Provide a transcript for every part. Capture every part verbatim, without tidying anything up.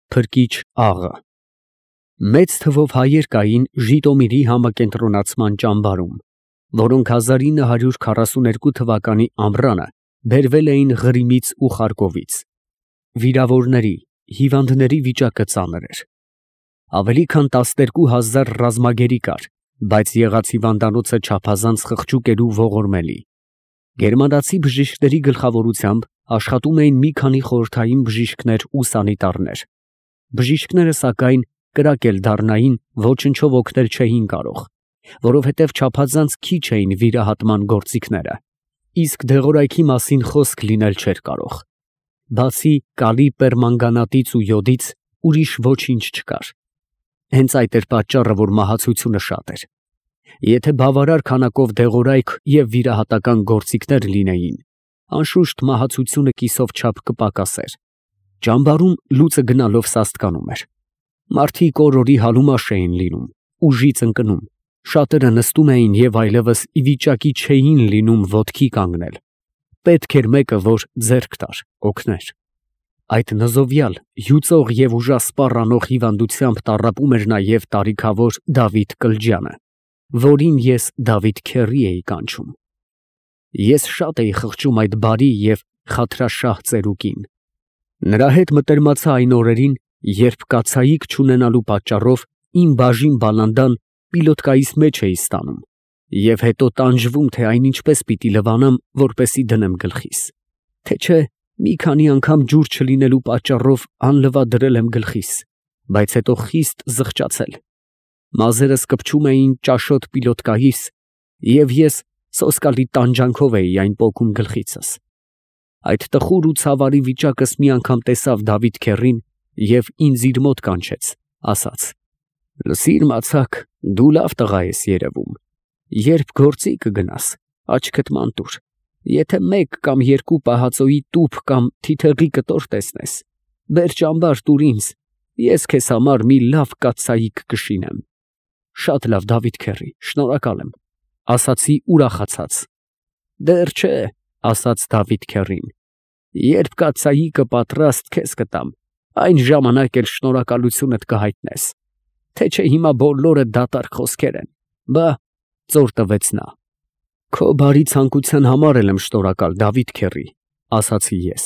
Փրկիչ աղը։ Մեծ թվով հայեր կային Ժիտոմիրի համակենտրոնացման ճամբարում, որոնք հազար ինը հարյուր քառասուներկու թվականի ամռանը բերվել էին Ղրիմից ու Խարկովից։ Վիրավորների, հիվանդների վիճակը ծանր էր։ Ավելի քան տասներկու հազար ռազմագերի կար, բայց եղած հիվանդանոցը չափազանց խղճուկ էր ու ողորմելի։ Գերմանացի բժիշկների գլխավորությամբ աշխատում էին մի քանի խորհրդային բժիշկներ ու սանիտարներ։ Բժիշկները, սակայն, կրակել դառնային, ոչնչով օգնել չէին կարող, որովհետև չափազանց քիչ էին վիրահատման գործիքները, իսկ դեղորայքի մասին խոսք լինել չէր կարող։ Բացի կալի պերմանգանատից ու յոդից ուրիշ ոչինչ չկար։ Հենց այդ էր պատճառը, որ մահացությունը շատ էր։ Եթե բավարար քանակով դեղորայք և վիրահատական գործիքներ լինեին, անշուշտ մահացությունը կիսով չափ կպակասեր։ Ճամբարում լուծը գնալով սաստկանում էր։ Մարդիկ օր֊օրի հալումաշ էին լինում, ուժից ընկնում, շատերը նստում էին և այլևս ի վիճակի չէին լինում ոտքի կանգնել։ Պետք էր մեկը, որ ձեռք տար, օգներ։ Այդ նզովյալ, հյուծող և ուժասպառ անող հիվանդությամբ տառապում էր նաև տարիքավոր Դավիթ Կլջյանը, որին ես Դավիթ քեռի էի կանչում։ Ես շատ էի խղճում այդ բարի և խաթրաշահ ծերուկին։ Նրա հետ մտերմացա այն օրերին, երբ կացայիկ չունենալու պատճառով իմ բաժին բալանդան պիլոտկայիս մեջ էի ստանում և հետո տանջվում, թե այն ինչպես պիտի լվանամ, որպեսզի դնեմ գլխիս, թե չէ մի քանի անգամ ջուր չլինելու պատճառով անլվադրել եմ գլխիս, բայց հետո խիստ զղջացել։ Մազերս կպչում էին ճաշոտ պիլոտկայիս, և ես սոսկալի տանջանքով էի այն պոկում գլխիցս։ Այդ տխուր ու ցավարի վիճակս մի անգամ տեսավ Դավիթ քեռին և ինձ իր մոտ կանչեց, ասաց. «Լսիր, մացակ, դու լավ տղա ես երևում, երբ գործի կգնաս, աչքդ ման տուր, եթե մեկ կամ երկու պահածոյի տուփ կամ թիթեղի կտոր տեսնես, բեր ճամբար տուր ինձ, ես քեզ համար մի լավ կաթսայիկ կշինեմ»։ Շատ լավ, Դավիթ քեռի, շնորհակալ եմ, ասացի ուրախացած։ Դեռ չէ, ասաց Դավիթ քեռին, երբ կաթսայիկը պատրաստ քեզ կտամ, այն ժամանակ էլ շնորհակալությունդ կհայտնես, թե չէ հիմա բոլորը դատարկ խոսքեր են, բա, ծոր տվեց նա։ Քո բարի ցանկության համար էլ եմ շնորհակալ, Դավիթ քեռի, ասացի ես։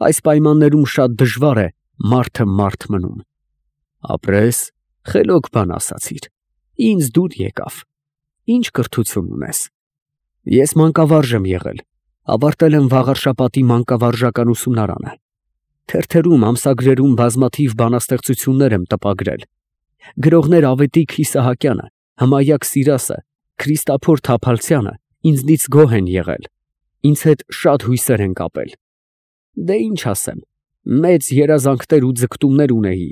Այս պայմաններում շատ դժվար է մարդը մարդ մնում։ Ապրես, խելոք բան ասացիր, ինձ դուր եկավ, ինչ կրթություն ունես։ Ես մանկավարժ եմ եղել, ավարտել եմ Վաղարշապատի մանկավարժական ուսումնարանը, թերթերում, ամսագրերում բազմաթիվ բանաստեղծություններ եմ տպագրել։ Գրողներ Ավետիք Իսահակյանը, Հմայակ Սիրասը, Քրիստափոր Թափալցյանը ինձնից գոհ են եղել, ինձ հետ շատ հույսեր են կապել։ Դե ինչ ասեմ, մեծ երազանքներ ու ձգտումներ ունեի,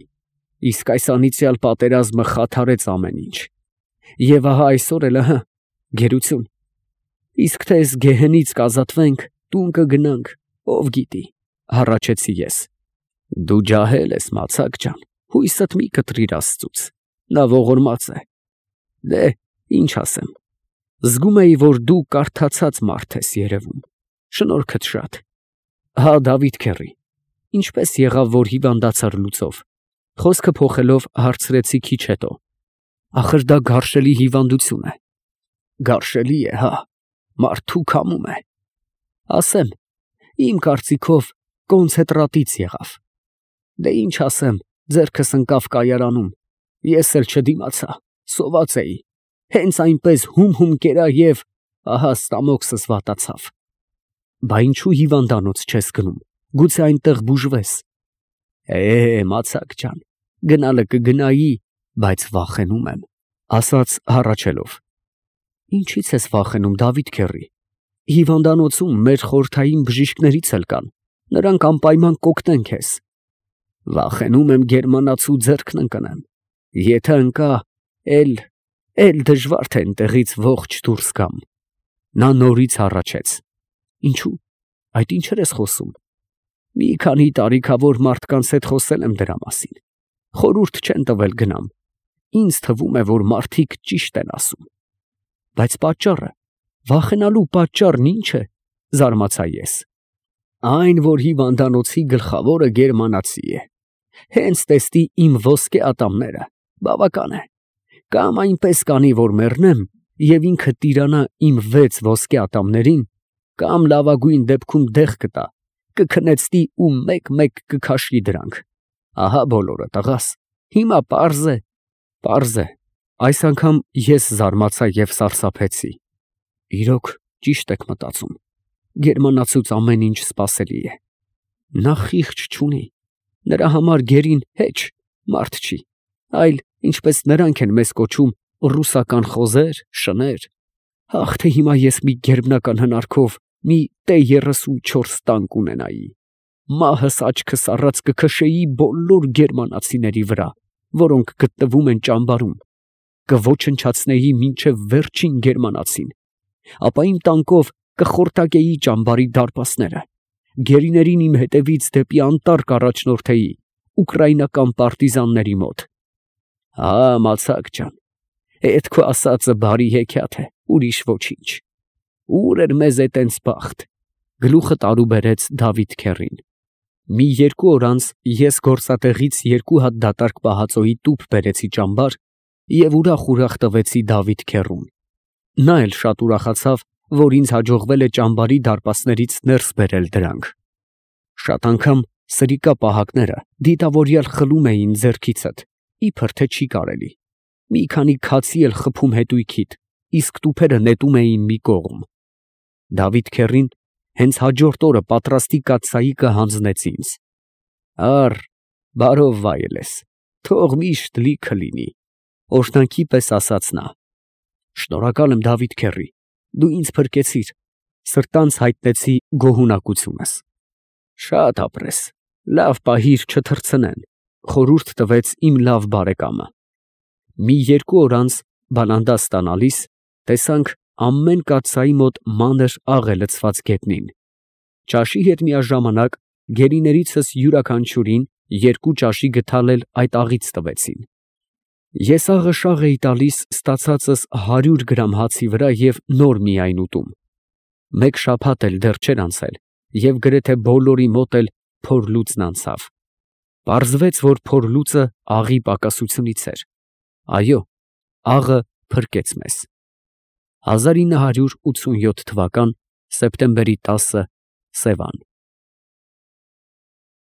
իսկ այս անիծյալ պատերազմը խաթարեց ամեն ինչ։ Եվ ահա այսօր էլ ըհը, գերություն։ Իսկ թե էս գեհենից կազատվենք, տուն կգնանք, ով գիտի, հառաչեցի ես։ Դու ջահել ես, մացակ ջան, հույսդ մի կտրիր Աստծուց, նա ողորմած է։ Դե, ինչ ասեմ, զգում էի, որ դու կարդացած մարդ ես երևում, շնորհքդ շատ։ Հա, Դավիթ քեռի, ինչպես եղավ, որ հիվանդացար լուծով, խոսքը փոխելով հարցրեցի քիչ հետո։ Ախր դա գարշելի հիվանդություն է։ Գարշելի է, հա, մարդու քամում է։ Ասեմ, իմ կարծիքով կոնցենտրատից եղավ։ Դե ինչ ասեմ, ձեռքս ընկավ կայարանում, ես էլ չդիմացա, սոված էի, հենց այնպես հում-հում կերա և ահա ստամոքսս վատացավ։ Բա ինչու հիվանդանոց չես գնում, գուցե այնտեղ բուժվես։ Է, մացակ ջան, գնալը կգնայի, բայց վախենում եմ, ասաց հառաչելով։ Ինչից ես վախենում, Դավիթ քեռի, հիվանդանոցում մեր խորհրդային բժիշկներից էլ կան, նրանք անպայման կօգնեն քեզ։ Վախենում եմ գերմանացու ձեռքն ընկնեմ, եթե ընկա, էլ, էլ դժվար թե այնտեղից ողջ դուրս գամ։ Նա նորից հառաչեց։ Ինչու՞, այդ ինչեր ես խոսում։ Մի քանի տարիքավոր մարդկանց հետ խոսել եմ դրա մասին, խորհուրդ չեն տվել գնամ, ինձ թվում է, որ մարդիկ ճիշտ են ասում։ Բայց պատճառը, վախենալու պատճառն ի՞նչ է, զարմացա ես։ Այն, որ հիվանդանոցի գլխավորը գերմանացի է, Հենց տեսնի իմ ոսկե ատամները, բավական է, կամ այնպես կանի, որ մեռնեմ և ինքը տիրանա իմ վեց ոսկե ատամներին, կամ լավագույն դեպքում դեղ կտա, կքնեցնի ու մեկ֊մեկ կքաշի դրանք, ահա բոլորը, տղաս, հիմա պարզ է, պարզ է։ Այս անգամ ես զարմացա և սարսափեցի, իրոք ճիշտ եք մտածում, գերմանացուց ամեն ինչ սպասելի է, նա խիղճ չունի, նրա համար գերին հեչ, մարդ չի, այլ, ինչպես նրանք են մեզ կոչում, ռուսական խոզեր, շներ, ահ, թե հիմա ես մի գերբնական հնարքով մի տե երեսունչորս տանկ ունենայի, մահս աչքս առած կքշեի բոլոր գերմանացիների վրա, որոնք գտնվում են ճամբարում, կոչնչացնեի մինչև վերջին գերմանացին, ապա իմ տանկով կխորտակեի ճամբարի դարպասները, գերիներին իմ հետևից դեպի անտառ կառաջնորդեի ուկրաինական պարտիզանների մոտ։ Հա, մացակ ջան, էդ քո ասածը բարի հեքիաթ է, ուրիշ ոչինչ։ Ուր էր մեզ է տենց բախտ, գլուխը տարու բերեց Դավիթ քեռին։ Մի երկու օր անց ես գործատեղից երկու հատ դատարկ պահածոյի տուփ բերեցի ճամբար և ուրախ֊ուրախ տվեցի Դավիթ քեռուն։ Նա էլ շատ ուրախացավ, որ ինձ հաջողվել է ճամբարի դարպասներից ներս բերել դրանք։ Շատ անգամ սրիկա պահակները դիտավորյալ խլում էին ձեռքիցդ, իբր թե չի կարելի, մի քանի քացի էլ խփում հետույքիդ, իսկ տուփերը նետում էին մի կողմ։ Դավիթ քեռին հենց հաջորդ օրը պատրաստի կաթսայիկը հանձնեց ինձ։ Առ, բարով վայել ես, թող միշտ լիքը լինի, օրհնանքի պես ասաց նա։ Շնորհակալ եմ Դավիթ քեռի, դու ինձ փրկեցիր, սրտանց հայտնեցի գոհունակությունս։ Շատ ապրես, լավ պահիր չթռցնեն, խորհուրդ տվեց իմ լավ բարեկամը։ Մի երկու օր անց բանանդա ստանալիս, տեսանք ամեն կաթսայի մոտ մանր աղ է լցված գետնին։ Ճաշի հետ միաժամանակ գերիներիցս յուրաքանչյուրին երկու ճաշի գդալ էլ այդ աղից տվեցին։ Ես աղը շաղ էի տալիս ստացածս հարյուր գրամ հացի վրա և նոր միայն ուտում։ Մեկ շաբաթ էլ դեռ չէր անցել, և գրեթե բոլորի մոտ էլ փորլուծն անցավ։ Պարզվեց, որ փորլուծը աղի պակասությունից էր։ Այո, աղը փրկեց մեզ։ հազար ինը հարյուր ութսունյոթ թվական սեպտեմբերի տասը Սևան։